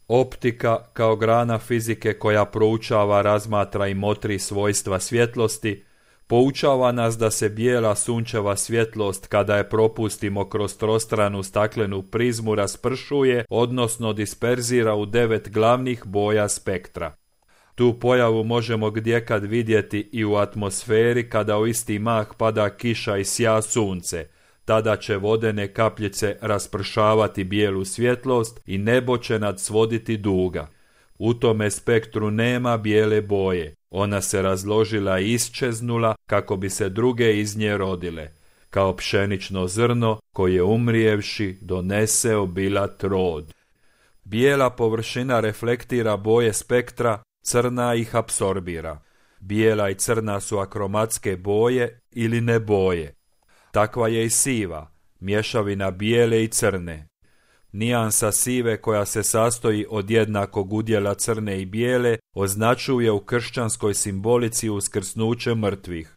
Optika kao grana fizike koja proučava, razmatra i motri svojstva svjetlosti, poučava nas da se bijela sunčeva svjetlost kada je propustimo kroz trostranu staklenu prizmu raspršuje, odnosno disperzira u 9 glavnih boja spektra. Tu pojavu možemo gdjekad vidjeti i u atmosferi kada u isti mah pada kiša i sja sunce. Tada će vodene kapljice raspršavati bijelu svjetlost i nebo će nadsvoditi duga. U tome spektru nema bijele boje. Ona se razložila i isčeznula kako bi se druge iz nje rodile, kao pšenično zrno koje umrijevši donese obilat rod. Bijela površina reflektira boje spektra, crna ih apsorbira. Bijela i crna su akromatske boje ili ne boje. Takva je i siva, mješavina bijele i crne. Nijansa sive koja se sastoji od jednakog udjela crne i bijele označuje u kršćanskoj simbolici uskrsnuće mrtvih.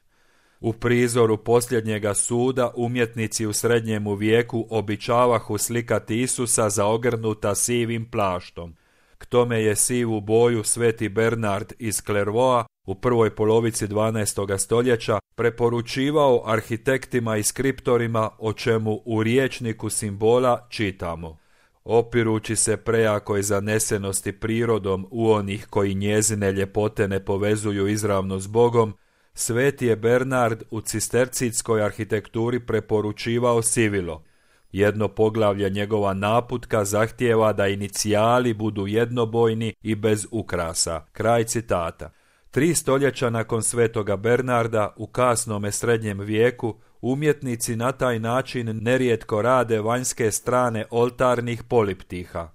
U prizoru posljednjega suda umjetnici u srednjemu vijeku običavahu slikati Isusa zaogrnuta sivim plaštom. K tome je sivu boju sveti Bernard iz Clairvauxa u prvoj polovici 12. stoljeća preporučivao arhitektima i skriptorima, o čemu u rječniku simbola čitamo: opirući se prejakoj zanesenosti prirodom u onih koji njezine ljepote ne povezuju izravno s Bogom, sveti je Bernard u cistercijskoj arhitekturi preporučivao sivilo. Jedno poglavlje njegova naputka zahtijeva da inicijali budu jednobojni i bez ukrasa. Kraj citata. 3 stoljeća nakon svetoga Bernarda, u kasnome srednjem vijeku, umjetnici na taj način nerijetko rade vanjske strane oltarnih poliptiha.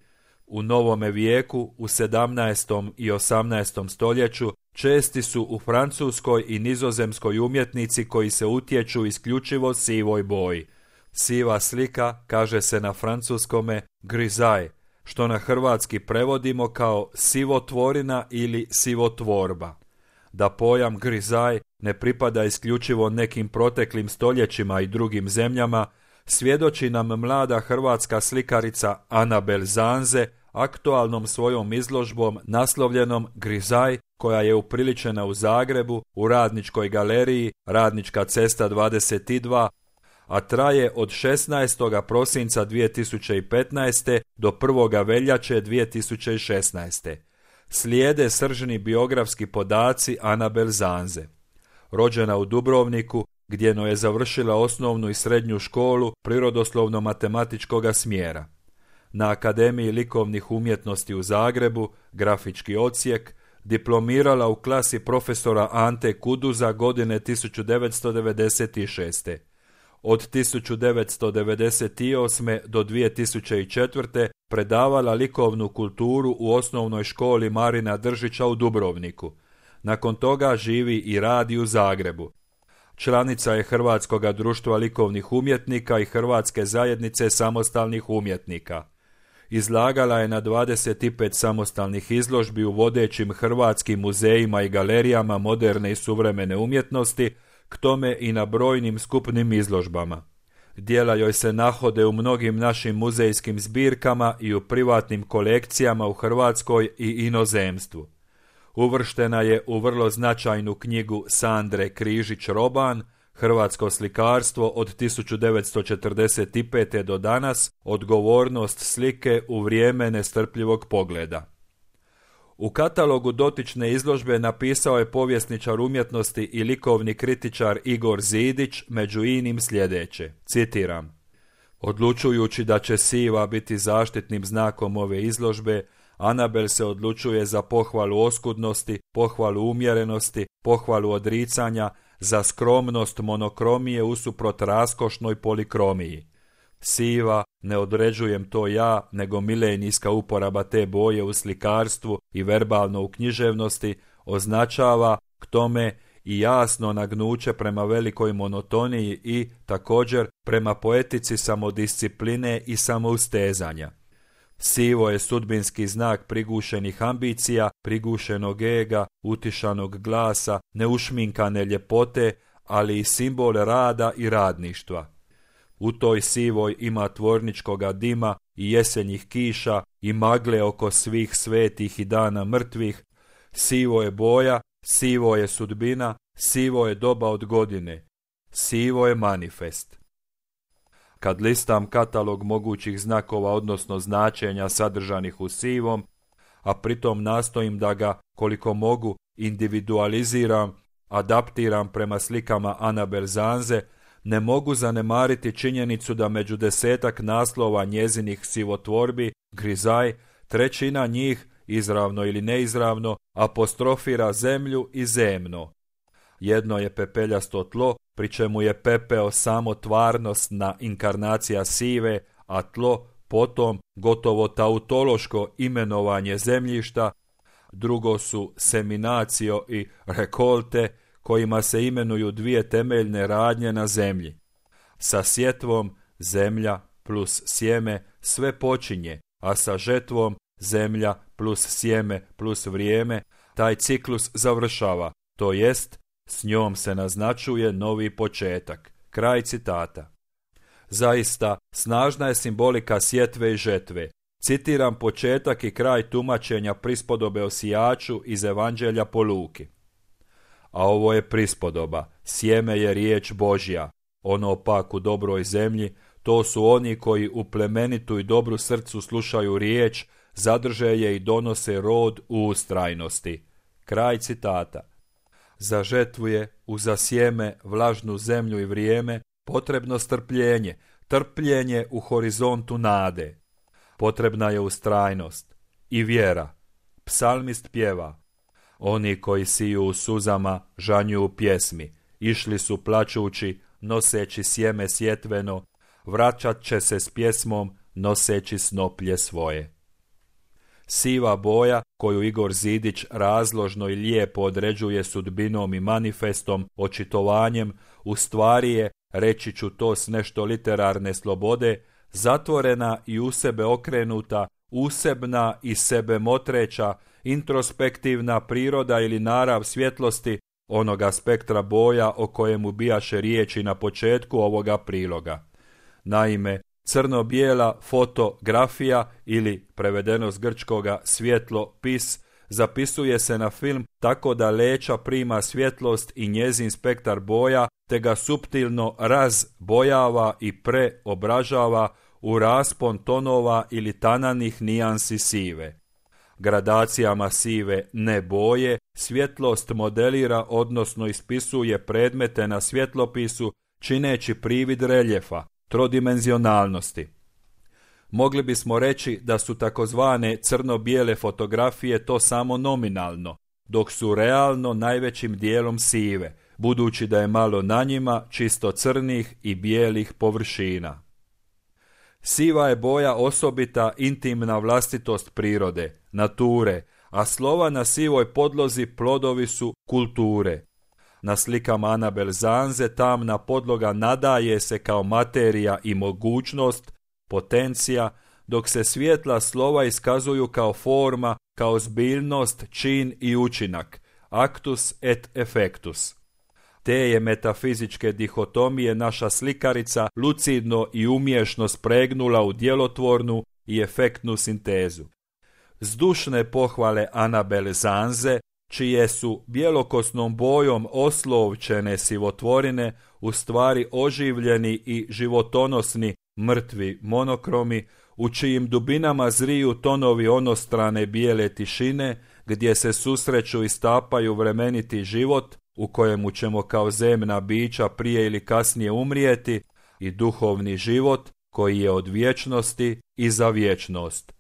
U novome vijeku, u 17. i 18. stoljeću, česti su u francuskoj i nizozemskoj umjetnici koji se utječu isključivo sivoj boji. Siva slika kaže se na francuskome grisaille, što na hrvatski prevodimo kao sivotvorina ili sivotvorba. Da pojam grisaille ne pripada isključivo nekim proteklim stoljećima i drugim zemljama, svjedoči nam mlada hrvatska slikarica Anabel Zanze aktualnom svojom izložbom naslovljenom Grisaille, koja je upriličena u Zagrebu u Radničkoj galeriji Radnička cesta 22, a traje od 16. prosinca 2015. do 1. veljače 2016. Slijede sržni biografski podaci Anabel Zanze. Rođena u Dubrovniku, gdje je završila osnovnu i srednju školu prirodoslovno-matematičkoga smjera. Na Akademiji likovnih umjetnosti u Zagrebu, grafički odsjek, diplomirala u klasi profesora Ante Kuduza godine 1996. Od 1998. do 2004. predavala likovnu kulturu u osnovnoj školi Marina Držića u Dubrovniku. Nakon toga živi i radi u Zagrebu. Članica je Hrvatskoga društva likovnih umjetnika i Hrvatske zajednice samostalnih umjetnika. Izlagala je na 25 samostalnih izložbi u vodećim hrvatskim muzejima i galerijama moderne i suvremene umjetnosti, k tome i na brojnim skupnim izložbama. Djela joj se nahode u mnogim našim muzejskim zbirkama i u privatnim kolekcijama u Hrvatskoj i inozemstvu. Uvrštena je u vrlo značajnu knjigu Sandre Križić-Roban, Hrvatsko slikarstvo od 1945. do danas, odgovornost slike u vrijeme nestrpljivog pogleda. U katalogu dotične izložbe napisao je povjesničar umjetnosti i likovni kritičar Igor Zidić među inim sljedeće, citiram: odlučujući da će siva biti zaštitnim znakom ove izložbe, Anabel se odlučuje za pohvalu oskudnosti, pohvalu umjerenosti, pohvalu odricanja, za skromnost monokromije usuprot raskošnoj polikromiji. Siva, ne određujem to ja, nego milenijska uporaba te boje u slikarstvu i verbalno u književnosti, označava k tome i jasno nagnuće prema velikoj monotoniji i, također, prema poetici samodiscipline i samoustezanja. Sivo je sudbinski znak prigušenih ambicija, prigušenog ega, utišanog glasa, neušminkane ljepote, ali i simbol rada i radništva. u toj sivoj ima tvorničkoga dima i jesenjih kiša i magle oko svih svetih i dana mrtvih. Sivo je boja, sivo je sudbina, sivo je doba od godine. Sivo je manifest. Kad listam katalog mogućih znakova odnosno značenja sadržanih u sivom, a pritom nastojim da ga, koliko mogu, individualiziram, adaptiram prema slikama Anabel Zanze, ne mogu zanemariti činjenicu da među 10-ak naslova njezinih sivotvorbi, Grizaj, 1/3 njih, izravno ili neizravno, apostrofira zemlju i zemno. Jedno je pepeljasto tlo, pri čemu je pepeo samo tvarnostna inkarnacija sive, a tlo potom gotovo tautološko imenovanje zemljišta. Drugo su seminacio i rekolte, kojima se imenuju dvije temeljne radnje na zemlji. Sa sjetvom zemlja plus sjeme sve počinje, a sa žetvom zemlja plus sjeme plus vrijeme taj ciklus završava, to jest s njom se naznačuje novi početak. Kraj citata. Zaista, snažna je simbolika sjetve i žetve. Citiram početak i kraj tumačenja prispodobe o sijaču iz Evanđelja po Luki. A ovo je prispodoba, sjeme je riječ Božja, ono pak u dobroj zemlji, to su oni koji u plemenitu i dobru srcu slušaju riječ, zadrže je i donose rod u ustrajnosti. Kraj citata. Za žetvu je, uza sjeme, vlažnu zemlju i vrijeme, potrebno strpljenje, trpljenje u horizontu nade. Potrebna je ustrajnost i vjera. Psalmist pjeva: oni koji siju u suzama žanju u pjesmi, išli su plačući, noseći sjeme sjetveno, vraćat će se s pjesmom, noseći snoplje svoje. Siva boja, koju Igor Zidić razložno i lijepo određuje sudbinom i manifestom, očitovanjem, u stvari je, reći ću to s nešto literarne slobode, zatvorena i u sebe okrenuta, usebna i sebe motreća, introspektivna priroda ili narav svjetlosti onoga spektra boja o kojemu bijaše riječi na početku ovoga priloga. Naime, crno-bijela fotografija ili, prevedeno s grčkoga, svjetlo-pis, zapisuje se na film tako da leća prima svjetlost i njezin spektar boja, te ga suptilno razbojava i preobražava u raspon tonova ili tananih nijansi sive. Gradacijama sive ne boje, svjetlost modelira odnosno ispisuje predmete na svjetlopisu, čineći privid reljefa, trodimenzionalnosti. Mogli bismo reći da su takozvane crno-bijele fotografije to samo nominalno, dok su realno najvećim dijelom sive, budući da je malo na njima čisto crnih i bijelih površina. Siva je boja osobita intimna vlastitost prirode, nature, a slova na sivoj podlozi plodovi su kulture. Na slikama Anabel Zanze tamna podloga nadaje se kao materija i mogućnost, potencija, dok se svjetla slova iskazuju kao forma, kao zbiljnost, čin i učinak, actus et effectus. Te je metafizičke dihotomije naša slikarica lucidno i umješno spregnula u djelotvornu i efektnu sintezu. Zdušne pohvale Anabel Zanze, čije su bjelokosnom bojom oslovčene sivotvorine u stvari oživljeni i životonosni mrtvi monokromi, u čijim dubinama zriju tonovi onostrane bijele tišine, gdje se susreću i stapaju vremeniti život, u kojemu ćemo kao zemna bića prije ili kasnije umrijeti, i duhovni život koji je od vječnosti i za vječnost.